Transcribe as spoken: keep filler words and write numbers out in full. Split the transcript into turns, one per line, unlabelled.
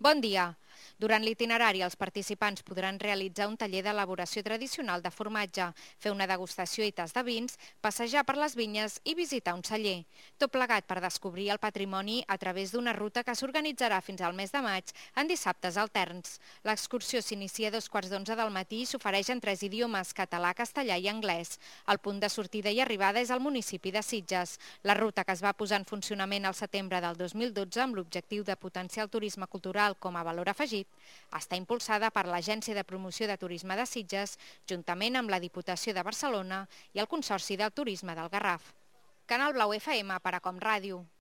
Bon dia. Durant l'itinerari, els participants podran realitzar un taller d'elaboració tradicional de formatge, fer una degustació i tas de vins, passejar per les vinyes i visitar un celler. Tot plegat per descobrir el patrimoni a través d'una ruta que s'organitzarà fins al mes de maig en dissabtes alterns. L'excursió s'inicia a dos quarts d'onze del matí i s'ofereix en tres idiomes, català, castellà i anglès. El punt de sortida i arribada és al municipi de Sitges. La ruta, que es va posar en funcionament al setembre del dos mil dotze amb l'objectiu de potenciar el turisme cultural com a valor afegit, està impulsada per l'Agència de Promoció de Turisme de Sitges, juntament amb la Diputació de Barcelona i el Consorci del Turisme del Garraf. Canal Blau F M per a Com Ràdio.